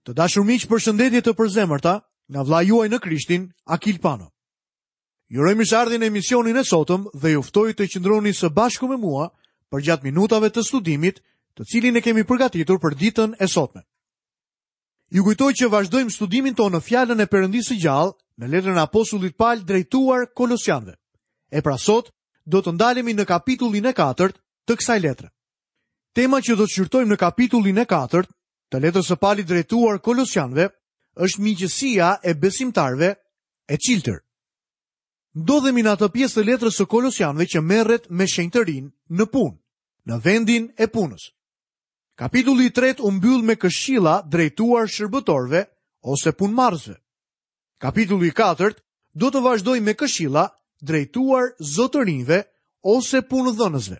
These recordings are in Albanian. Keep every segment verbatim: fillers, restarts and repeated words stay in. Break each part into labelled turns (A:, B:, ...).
A: Të dashur miq, përshëndetje të përzemërta nga vëllai juaj në Krishtin, Akil Pano. Ju uroj mirëseardhjen në emisionin e sotëm dhe ju ftoj të qëndroni së bashku me mua përgjatë minutave të studimit, të cilin e kemi përgatitur për ditën e sotme. Ju kujtoj që vazhdojmë studimin tonë në fjalën e Perëndisë së gjallë në letrën e apostullit Pal drejtuar Kolosianëve. E pra sot do të ndalemi në kapitullin e katërt të kësaj letre. Tema që do të shqyrtojmë në kapitullin e katërt të letrës së Palit drejtuar Kolosianëve është miqësia e besimtarëve e çiltër. Ndodhemi në atë pjesë të letrës së Kolosianëve që merret me shenjtërinë në punë, në vendin e punës. Kapitulli i tretë u mbyll me këshilla drejtuar shërbëtorëve ose punëmarrësve. Kapitulli i katërt do të vazhdojë me këshilla drejtuar zotërinjve ose punëdhënësve.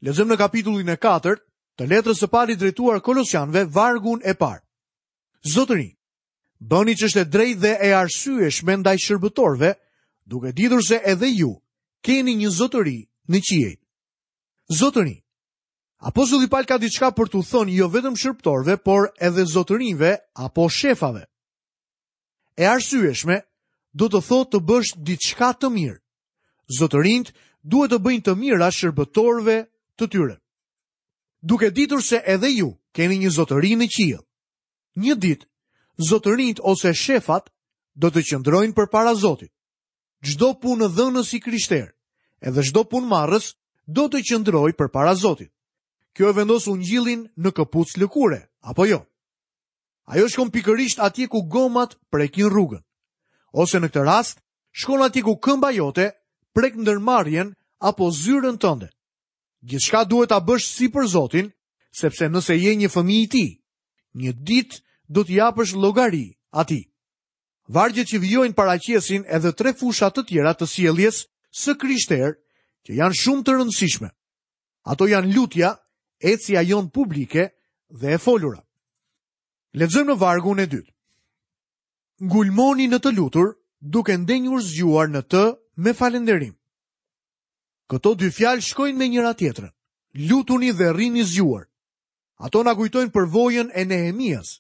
A: Lexojmë në kapitullin e katërt të letrës së Palit drejtuar Kolosianëve vargun e parë. Zotërinj, bëni ç'është e drejtë dhe e arsyeshme ndaj shërbëtorëve, duke ditur se edhe ju keni një zotëri në qiej. Zotërinj, Apostulli Pal ka diçka për t'u thënë jo vetëm shërbëtorëve, por edhe zotërinjve apo shefave. E arsyeshme do të thotë të bësh diçka të mirë. Zotërinjt duhet të bëjnë të mira shërbëtorëve të tyre. Duke ditur se edhe ju keni një zotëri në qiell. Një ditë, zotërinjt ose shefat do të qëndrojnë përpara Zotit. Çdo punëdhënës i krishterë, edhe çdo punëmarrës do të qëndrojë përpara Zotit. Kjo e vendos ungjillin në këpuc lëkure, apo jo? Ajo shkon pikërisht atje ku gomat prekin rrugën. Ose në këtë rast, shkon atje ku këmba jote prek ndërmarrjen apo zyrën tënde. Gjithçka duhet ta bësh si për Zotin, sepse nëse je një fëmijë i tij, një ditë do t'i japësh llogari atij. Vargjet që vijojnë paraqesin edhe tre fusha të tjera të sjelljes së krishterë që janë shumë të rëndësishme. Ato janë lutja, ecja jon publike dhe e folura. Lexojmë në vargun e dytë. Ngulmoni në të lutur, duke ndenjur zgjuar në të me falënderim. Këto dy fjalë shkojnë me njëra tjetrën. Lutuni dhe rrini zgjuar. Ato na kujtojnë përvojën e Nehemias.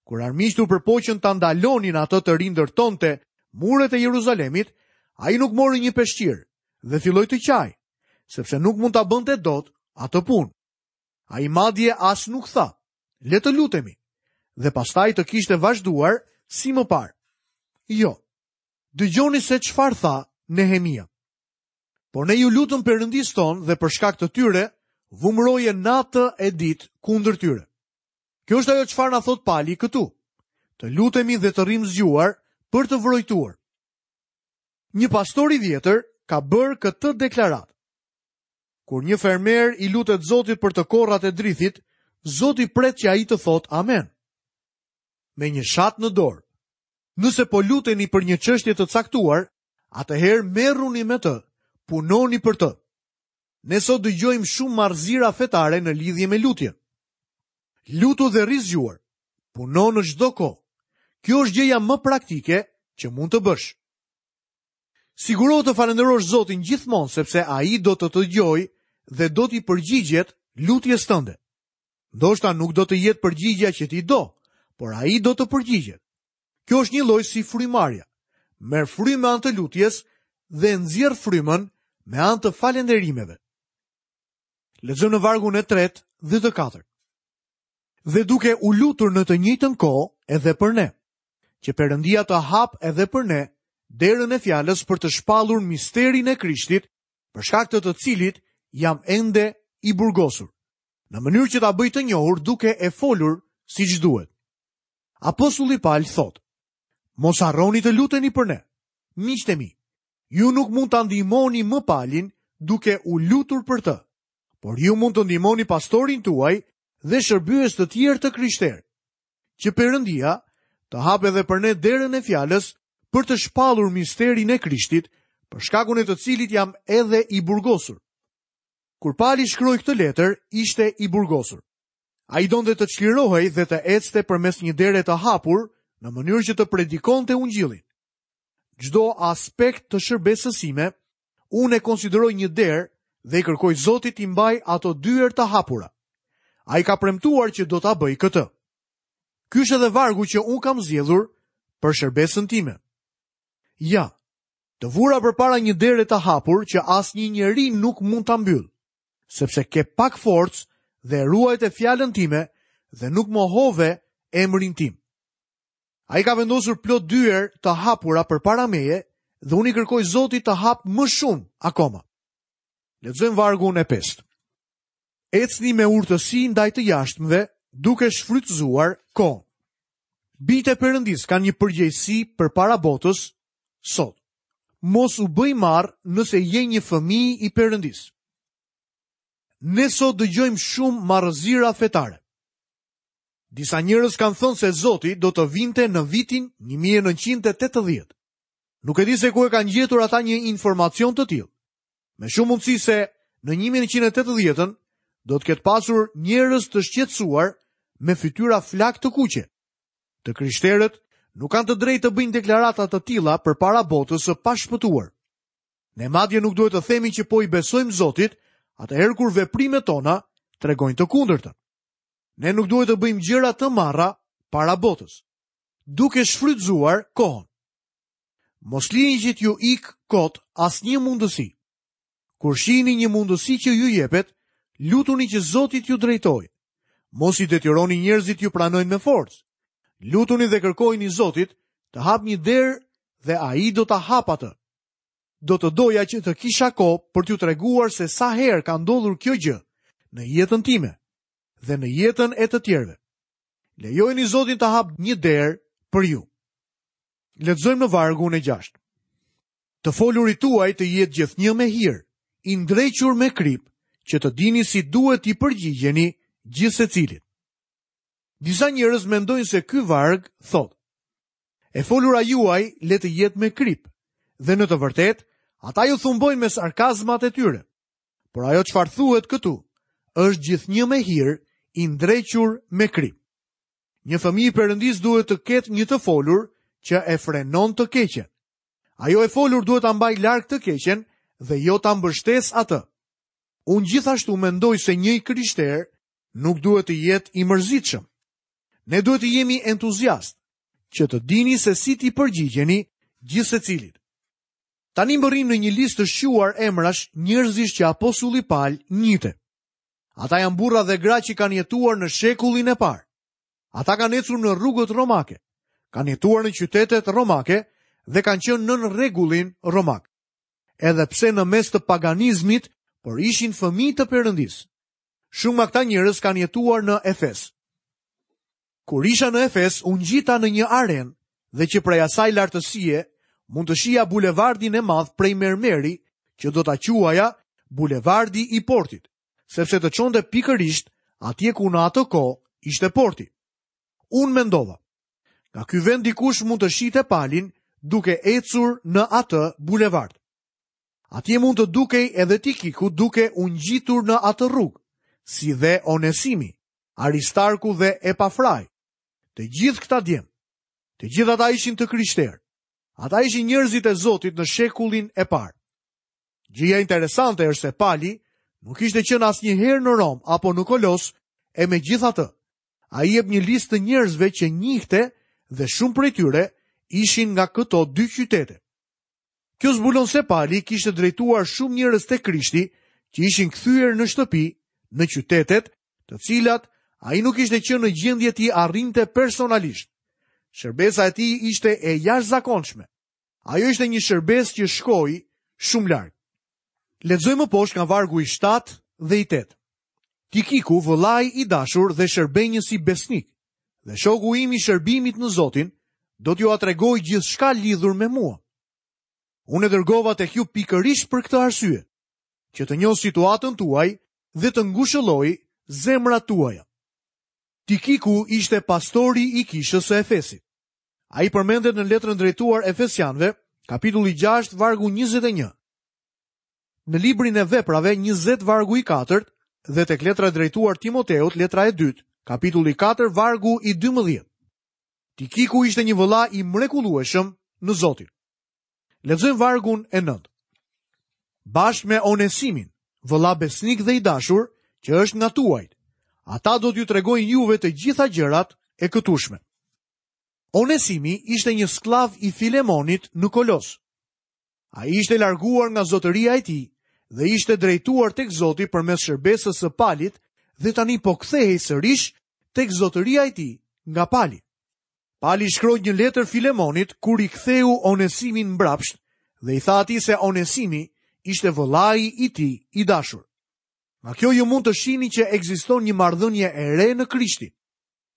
A: Kur armiqtë u përpoqën ta ndalonin atë të rindërtonte muret e Jeruzalemit, ai nuk mori një peshqir dhe filloi të qajë, sepse nuk mund ta bënte dot atë punë. Ai madje as nuk tha, le të lutemi, dhe pastaj të kishte vazhduar si më parë. Jo. Dëgjoni se çfarë tha Nehemia. Por ne ju lutëm Perëndisë tonë dhe për shkak të tyre vumroje natë e ditë kundër tyre. Kjo është ajo çfarë na thot Pali këtu. Të lutemi dhe të rrim zgjuar për të vrojtuar. Një pastor i vjetër ka bërë këtë deklaratë. Kur një fermer i lutet Zotit për të korrat e drithit, Zoti pret që ai të thotë amen. Me një shat në dorë. Nëse po luteni për një çështje të caktuar, atëherë merruni me të, punoni për të. Ne sot dëgjojmë shumë marrëzira fetare në lidhje me lutjen. Lutu dhe rri zgjuar, puno në çdo kohë. Kjo është gjëja më praktike që mund të bësh. Sigurohu të falënderosh Zotin gjithmonë, sepse ai do të të dëgjojë dhe do t'i përgjigjet lutjes tënde. Ndoshta nuk do të jetë përgjigja që ti do, por ai do të përgjigjet. Kjo është një lloj si frymarrja. Merr frymë me anë të lutjes dhe nxjerr frymën me anë të falënderimeve. Lexojmë në vargun e tretë dhe të katërt. Dhe duke u lutur në të njëjtën kohë edhe për ne, që Perëndia të hap edhe për ne derën e fjalës për të shpallur misterin e Krishtit, për shkak të të cilit jam ende i burgosur, në mënyrë që ta bëj të njohur duke e folur siç duhet. Apostulli Pal thotë: Mos harroni të luteni për ne. Miqtë e mi, ju nuk mund ta ndihmoni më Palin duke u lutur për të, por ju mund të ndihmoni pastorin tuaj dhe shërbyes të tjerë të krishterë, që Perëndia të hapë edhe për ne derën e fjalës për të shpallur misterin e Krishtit, për shkakun e të cilit jam edhe i burgosur. Kur Pali shkroi këtë letër, ishte i burgosur. Ai donte të çlirohej dhe të ecte përmes një dere të hapur në mënyrë që të predikonte ungjillin. Çdo aspekt të shërbesës sime, unë e konsideroj një derë dhe i kërkoj Zotit t'i mbaj ato dyer të hapura. Ai ka premtuar që do ta bëj këtë. Ky është edhe vargu që unë kam zgjedhur për shërbesën time. Ja, të vura përpara një dere të hapur që asnjë njeri nuk mund ta mbyll, sepse ke pak forcë dhe ruajte fjalën time dhe nuk mohove emrin tim. Ai ka vendosur plot dyer të hapura përpara meje dhe unë i kërkoj Zotit të hap më shumë akoma. Lexojmë vargun e pestë. Ecni me urtësi ndaj të jashtëmve, duke shfrytëzuar kohën. Bijtë e Perëndisë kanë një përgjegjësi përpara botës sot. Mos u bëj marr nëse je një fëmijë i Perëndisë. Ne sot dëgjojmë shumë marrëzira fetare. Disa njerëz kanë thënë se Zoti do të vinte në vitin një mijë e nëntëqind e tetëdhjetë. Nuk e di se ku e kanë gjetur ata një informacion të tillë. Me shumë mundësi se në një mijë e nëntëqind e tetëdhjetën do të ketë pasur njerëz të shqetësuar me fytyra flak të kuqe. Të krishterët nuk kanë të drejtë të bëjnë deklarata të tilla përpara botës së pashpëtuar. Ne madje nuk duhet të themi që po i besojmë Zotit, atëherë kur veprimet tona tregojnë të kundërtën. Ne nuk duhet të bëjmë gjëra të marra para botës, duke shfrytëzuar kohën. Mos lini që t'ju ik kot asnjë mundësi. Kur shihni një mundësi që ju jepet, lutuni që Zoti t'ju drejtojë. Mos i detyroni njerëzit t'ju pranojnë me forcë. Lutuni dhe kërkojini Zotit të hap një derë dhe ai do ta hap atë. Do të doja që të kisha kohë për t'ju treguar se sa herë ka ndodhur kjo gjë në jetën time dhe në jetën e të tjerëve. Lejojeni Zotin të hap një derë për ju. Lexojmë në vargun e gjashtë. Të folurit tuaj të jetë gjithnjë me hir, i ndrequr me krip, që të dini si duhet t'i përgjigjeni gjithë secilit. Disa njerëz mendojnë se ky varg thotë: E folura juaj le të jetë me krip, dhe në të vërtetë ata ju thumbojnë me sarkazmat e tyre. Por ajo çfarë thuhet këtu është gjithnjë me hir, i ndrequr me krip. Një fëmijë i Perëndisë duhet të ketë një të folur që e frenon të keqen. Ajo e folur duhet ta mbajë larg të keqen dhe jo ta mbështes atë. Unë gjithashtu mendoj se një i krishter nuk duhet të jetë i mërzitshëm. Ne duhet të jemi entuziast, që të dini se si t'i përgjigjeni gjithë secilit. Tani mbërrim në një listë të shquar emrash njerëzish që apostulli Pal njihte. Ata janë burra dhe gra që kanë jetuar në shekullin e parë. Ata kanë ecur në rrugët romake, kanë jetuar në qytetet romake dhe kanë qenë nën rregullin romak. Edhe pse në mes të paganizmit, por ishin fëmijë të Perëndisë. Shumë nga këta njerëz kanë jetuar në Efes. Kur isha në Efes, u ngjita në një arenë dhe që prej asaj lartësie mund të shihja bulevardin e madh prej mermeri, që do ta quaja bulevardi i portit, sepse të çonte pikërisht atje ku në atë kohë ishte porti. Unë mendova, nga ky vend dikush mund të shihte Palin duke ecur në atë bulevard. Atje mund të dukej edhe Tikiku duke u ngjitur në atë rrugë, si dhe Onesimi, Aristarku dhe Epafrai. Të gjithë këta djem, të gjithë ata ishin të krishterë. Ata ishin njerëzit e Zotit në shekullin e parë. Gjëja interesante është se Pali nuk ishte qenë asnjëherë në Rom apo në Kolos, e megjithatë, ai jep një listë të njerëzve që njihte dhe shumë prej tyre ishin nga këto dy qytete. Kjo zbulon se Pali kishte drejtuar shumë njerëz te Krishti që ishin kthyer në shtëpi në qytetet, të cilat ai nuk ishte qenë në gjendje t'i arrinte personalisht. Shërbesa e tij ishte e jashtëzakonshme. Ajo ishte një shërbesë që shkoi shumë larg. Lexojmë poshtë nga vargu i shtatë dhe i tetë. Tikiku, vëllai i dashur dhe shërbenjësi besnik, dhe shoku im i shërbimit në Zotin, do t'ju atregoj gjithçka lidhur me mua. Unë e dërgova tek ju pikërisht për këtë arsye, që të njoh situatën tuaj dhe të ngushëlloj zemrat tuaja. Tikiku ishte pastori i kishës së Efesit. Ai përmendet në letrën drejtuar Efesianëve, kapitulli gjashtë, vargu njëzet e një. Në librin e Veprave njëzet vargu i katërt dhe tek letra drejtuar Timoteut, letra e dytë, kapitulli katër, vargu i dymbëdhjetë. Tikiku ishte një vëlla i mrekullueshëm në Zotin. Lexojmë vargun e nëntë. Bashkë me Onesimin, vëlla besnik dhe i dashur, që është nga tuajt, ata do t'ju tregojnë juve të gjitha gjërat e këtushme. Onesimi ishte një skllav i Filemonit në Kolos. Ai ishte larguar nga zotëria e tij dhe ishte drejtuar tek Zoti përmes shërbesës së Palit dhe tani po kthehej sërish tek zotëria e tij nga Pali. Pali shkroi një letër Filemonit kur i ktheu Onesimin mbrapsht dhe i tha atij se Onesimi ishte vëllai i tij i dashur. Nga kjo ju mund të shihni që ekziston një marrëdhënie e re në Krishtin.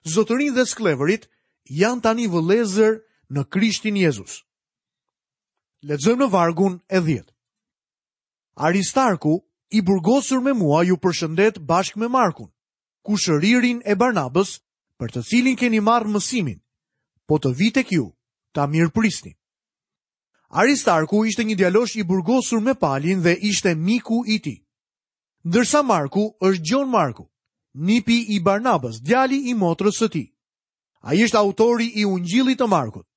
A: Zotërinj dhe skllevërit janë tani vëllezër në Krishtin Jezus. Lexojmë në vargun e dhjetë. Aristarku, i burgosur me mua, ju përshëndet bashkë me Markun, kushëririn e Barnabës, për të cilin keni marrë mësimin, po të vi tek ju, ta mirëprisni. Aristarku ishte një djalosh i burgosur me Palin dhe ishte miku i tij. Ndërsa Marku është Gjon Marku, nipi i Barnabës, djali i motrës së tij. Ai është autori i Ungjillit të Markut.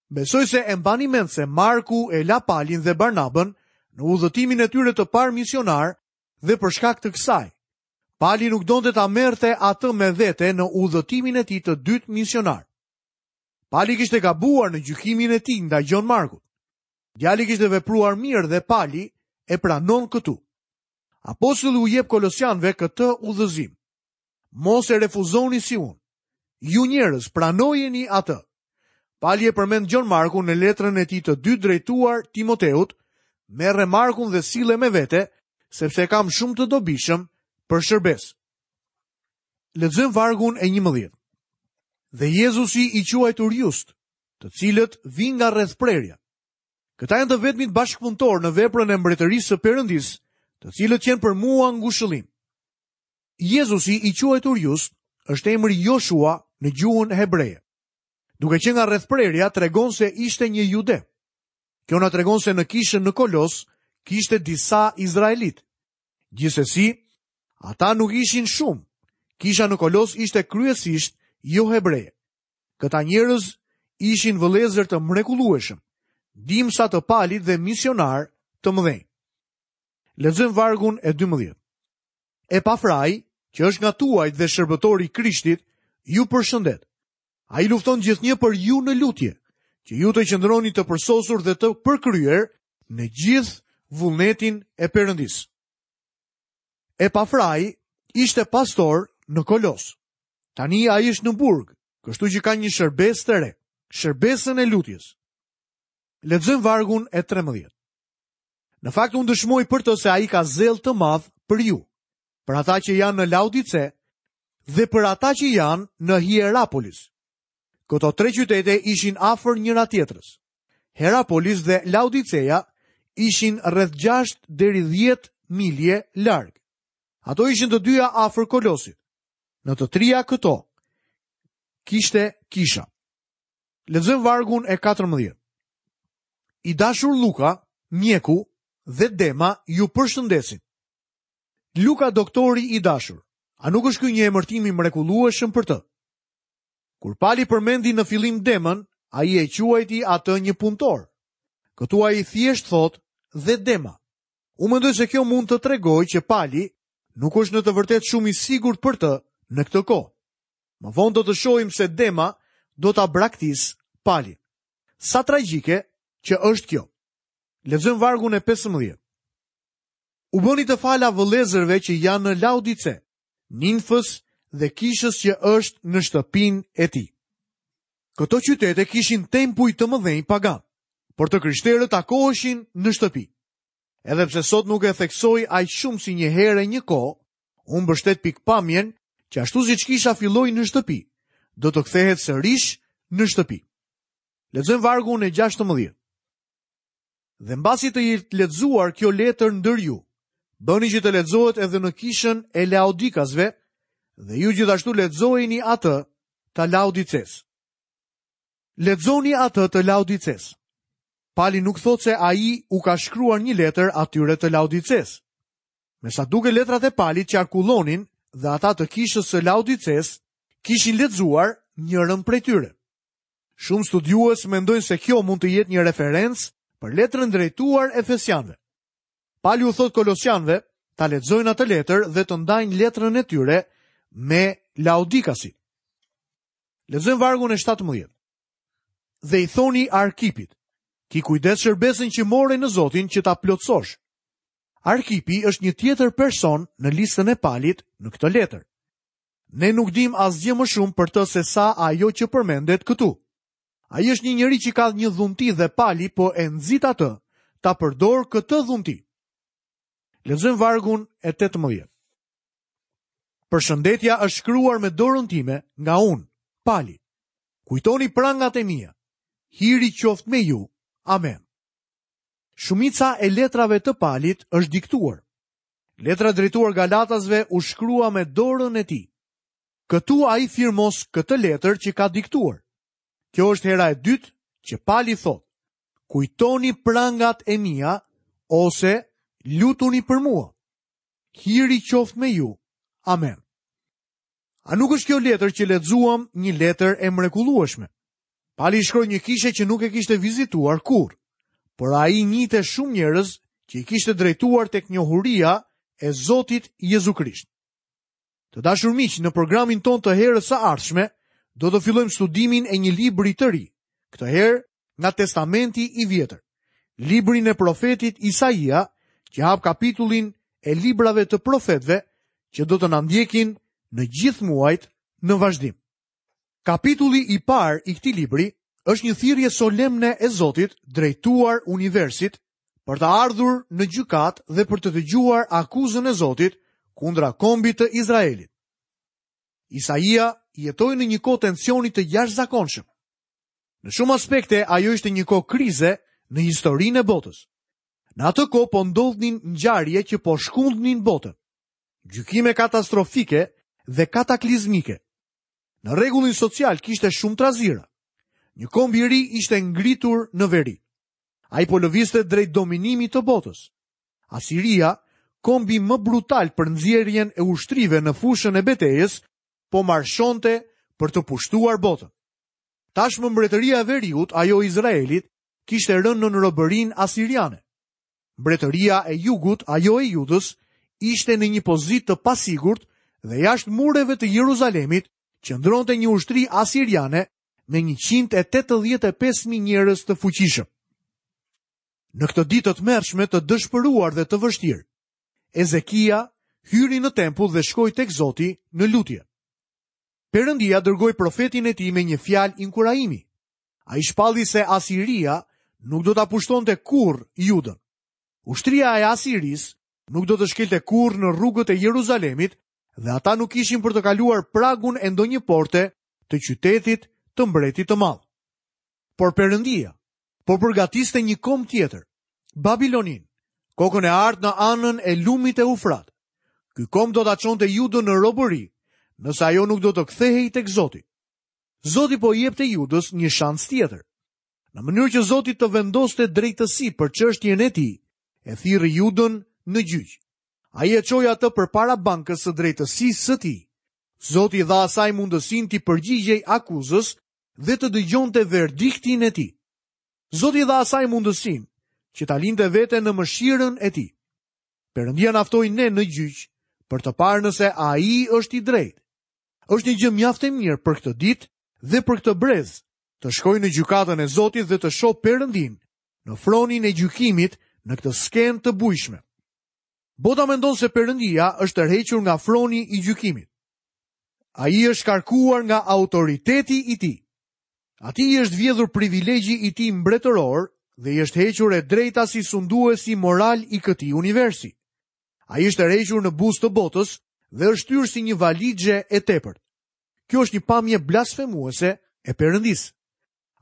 A: Besoj se e mbani mend se Marku e la Palin dhe Barnabën në udhëtimin e tyre të parë misionar dhe për shkak të kësaj, Pali nuk donte ta merrte atë me vete në udhëtimin e tij të dytë misionar. Pali kishte gabuar në gjykimin e tij ndaj Gjon Markut. Djali kishte vepruar mirë dhe Pali e pranon këtu. Apostulli u jep kolosianëve këtë udhëzim. Mos e refuzoni si unë. Ju njerëz, pranojeni atë. Pali e përmend Gjon Markun në letrën e tij të dytë drejtuar Timoteut, merre Markun dhe sille me vete, sepse e kam shumë të dobishëm për shërbesë. Lexojmë vargun e njëmbëdhjetë. Dhe Jezusi i quajtur Just, të cilët vinë nga rrethprerja. Këta janë të vetmit bashkëpunëtor në veprën e mbretërisë së Perëndisë, të cilët qenë për mua ngushëllim. Jezusi i quajtur Just është emri Joshua në gjuhën hebreje. Duke qenë nga rrethprerja, tregon se ishte një jude. Kjo na tregon se në kishën në Kolos kishte disa izraelit. Gjithsesi, ata nuk ishin shumë. Kisha në Kolos ishte kryesisht jo hebreje. Këta njerëz ishin vëllezër të mrekullueshëm, ndihmësa të Palit dhe misionar të mëdhenj. Lexojmë vargun e dymbëdhjetë. Epafrai, që është nga tuajt dhe shërbëtori i Krishtit, ju përshëndet. Ai lufton gjithnjë për ju në lutje, që ju të qëndroni të përsosur dhe të përkryer në gjithë vullnetin e Perëndisë. Epafrai ishte pastor në Kolos. Tani ai është në burg, kështu që ka një shërbesë të re, shërbesën e lutjes. Lexojmë vargun e trembëdhjetë. Në fakt unë dëshmoj për të se ai ka zell të madh për ju, për ata që janë në Laodice dhe për ata që janë në Hierapolis. Këto tre qytete ishin afër njëra tjetrës. Hierapolis dhe Laodiceja ishin rreth gjashtë deri dhjetë milje larg. Ato ishin të dyja afër Kolosit. Në të tria këto kishte kisha. Lexojmë vargun e katërmbëdhjetë. I dashur Luka, mjeku dhe Dema ju përshëndesin. Luka, doktori i dashur, a nuk është ky një emërtim i mrekullueshëm për të? Kur Pali përmendi në fillim Demën, ai e quajti atë një punëtor. Këtu ai thjesht thotë dhe Dema. Unë mendoj se kjo mund të tregojë që Pali nuk është në të vërtetë shumë i sigurt për të në këtë kohë. Më vonë do të shohim se Dema do ta braktis Palin. Sa tragjike që është kjo. Lexojmë vargun e pesëmbëdhjetë. U bëni të fala vëllezërve që janë në Laodice, Ninfës dhe kishës që është në shtëpinë e tij. Këto qytete kishin tempuj të mëdhenj pagan, por të krishterët takoheshin në shtëpi. Edhe pse sot nuk e theksoj aq shumë si një herë e një kohë, unë mbështet pikpamjen që ashtu siç kisha filloi në shtëpi, do të kthehet sërish në shtëpi. Lexojmë vargun e gjashtëmbëdhjetë. Dhe mbasi të jetë lexuar kjo letër ndër ju, bëni që të lexohet edhe në kishën e Laodikasve, dhe ju gjithashtu lexojeni atë të Laodices. Lexoni atë të Laodices. Pali nuk thotë se ai u ka shkruar një letër atyre të Laodices. Me sa duke letrat e Palit qarkullonin dhe ata të kishës së Laodices kishin lexuar njërën prej tyre. Shumë studiues mendojnë se kjo mund të jetë një referencë për letrën drejtuar Efesianëve. Pali u thot Kolosianëve ta lexojnë atë letër dhe të ndajnë letrën e tyre me Laodikasit. Lexojmë vargun e shtatëmbëdhjetë. Dhe i thoni Arkipit: Ki kujdes shërbesën që more në Zotin që ta plotësosh. Arkipi është një tjetër person në listën e Palit në këtë letër. Ne nuk dim asgjë më shumë për të se sa ajo që përmendet këtu. Ai është një njeri që ka një dhunti dhe Pali po e nxit atë ta përdor këtë dhunti. Lexojmë vargun e tetëmbëdhjetë. Përshëndetja është shkruar me dorën time nga unë, Pali. Kujtoni prangat e mia. Hiri qoftë me ju. Amen. Shumica e letrave të Palit është diktuar. Letra drejtuar Galatasve u shkrua me dorën e tij. Këtu ai firmos këtë letër që ka diktuar. Kjo është hera e dytë që Pali thotë: Kujtoni prangat e mia ose lutuni për mua. Hiri qoftë me ju. Amen. A nuk është kjo letër që lexuam një letër e mrekullueshme? Pali shkroi një kishe që nuk e kishte vizituar kurrë, por ai njihte shumë njerëz që i kishte drejtuar tek njohuria e Zotit Jezu Krisht. Të dashur miq, në programin ton të herës së ardhshme do të fillojmë studimin e një libri të ri, këtë herë nga Testamenti i Vjetër, librin e profetit Isaia, që hap kapitullin e librave të profetëve që do të na ndjekin në gjithë muajt në vazhdim. Kapitulli i parë i këtij libri është një thirrje solemne e Zotit drejtuar universit për të ardhur në gjykat dhe për të dëgjuar akuzën e Zotit kundra kombit të Izraelit. Isaia jetoi në një kohë tensioni të jashtëzakonshëm. Në shumë aspekte ajo ishte një kohë krize në historinë e botës. Në atë kohë po ndodhnin ngjarje që po shkundnin botën. Gjykime katastrofike dhe kataklizmike. Në rregullin social kishte shumë trazira. Një komb i ri ishte ngritur në veri. Ai po lëvizte drejt dominimit të botës. Asiria, kombi më brutal për nxjerrjen e ushtrive në fushën e betejës, po marshonte për të pushtuar botën. Tashmë mbretëria e veriut, ajo e Izraelit, kishte rënë në robërinë asiriane. Mbretëria e jugut, ajo e Judës, ishte në një pozitë të pasigurt dhe jashtë mureve të Jeruzalemit qëndronte një ushtri asiriane me njëqind e tetëdhjetë e pesë mijë njerëz të fuqishëm. Në këtë ditë të tmerrshme, të dëshpëruar dhe të vështirë, Ezekia hyri në tempull dhe shkoi tek Zoti në lutje. Perëndia dërgoi profetin e tij me një fjalë inkurajimi. Ai shpalli se Asiria nuk do ta pushtonte kurrë Judën. Ushtria e Asirisë nuk do të shkelte kurrë në rrugët e Jeruzalemit dhe ata nuk ishin për të kaluar pragun e ndonjë porte të qytetit të mbretit të madh. Por Perëndia po përgatiste një komb tjetër, Babilonin, kokën e artë në anën e lumit Eufrat. Ky komb do ta çonte Judën në robëri, nëse ajo nuk do të kthehej tek Zoti. Zoti po i jepte Judës një shans tjetër. Në mënyrë që Zoti të vendoste drejtësi për çështjen e tij, e thirri Judën në gjyq. Ai e çoi atë përpara bankës së drejtësisë së tij. Zoti i dha asaj mundësinë t'i përgjigjej akuzës dhe të dëgjonte verdiktin e tij. Zoti i dha asaj mundësinë që ta linte veten në mëshirën e tij. Perëndia na ftoi ne në gjyq për të parë nëse ai është i drejtë. Është një gjë mjaft e mirë për këtë ditë dhe për këtë brez, të shkoj në gjykatën e Zotit dhe të shoh Perëndin në fronin e gjykimit në këtë skenë të bujshme. Bota mendon se Perëndia është tërhequr nga froni i gjykimit. Ai është shkarkuar nga autoriteti i tij. Atij i është vjedhur privilegji i tij mbretëror dhe i është hequr e drejta si sunduesi moral i këtij universi. Ai është tërhequr në buzë të botës dhe është shtyrë si një valixhe e tepërt. Kjo është një pamje blasfemuese e Perëndisë.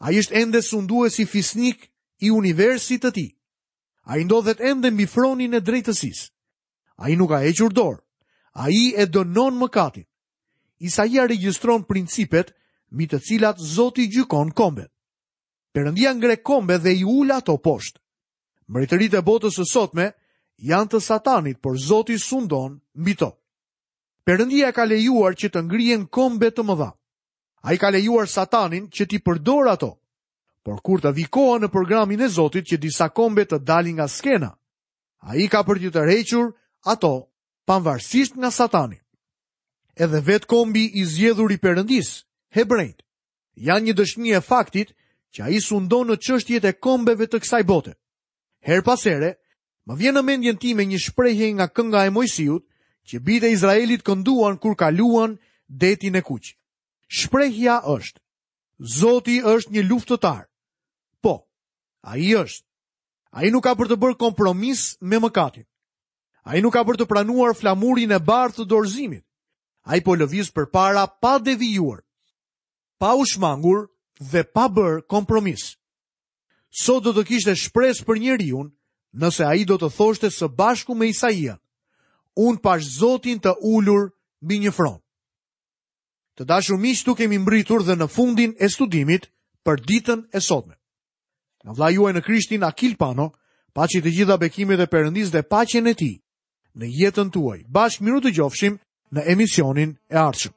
A: Ai është ende sunduesi fisnik i universit të tij. Ai ndodhet ende mbi fronin e drejtësisë. Ai nuk ka hequr dorë. Ai e dënon mëkatin. Isaia regjistron principet mbi të cilat Zoti gjykon kombet. Perëndia ngre kombe dhe i ul ato poshtë. Mbretëritë e botës së sotme janë të Satanit, por Zoti sundon mbi to. Perëndia ka lejuar që të ngrihen kombe të mëdha. Ai ka lejuar Satanin që t'i përdorë ato. Por kur të vi koha në programin e Zotit që disa kombe të dalin nga skena, ai ka për t'i tërhequr ato pavarësisht nga Satani. Edhe vetë kombi i zgjedhur i Perëndisë, hebrejt, janë një dëshmi e faktit që ai sundon në çështjet e kombeve të kësaj bote. Herë pas here, më vjen në mendjen time një shprehje nga kënga e Mojsiut që bijtë e Izraelit kënduan kur kaluan detin e Kuq. Shprehja është: Zoti është një luftëtar. Po, ai është. Ai nuk ka për të bërë kompromis me mëkatin. Ai nuk ka për të pranuar flamurin e bardhë të dorëzimit. Ai po lëviz përpara pa devijuar, pa u shmangur dhe pa bërë kompromis. Sot do të kishte shpresë për njeriun nëse ai do të thoshte së bashku me Isaia: Unë pash Zotin të ulur mbi një fron. Të dashur miq, tu kemi mbritur dhe në fundin e studimit për ditën e sotme. Nga vëllai juaj në Krishtin Akil Pano, paçi të gjitha bekimet e Perëndisë dhe paqen e Tij në jetën tuaj. Bashkë mirudëgjofshim në emisionin e ardhshëm.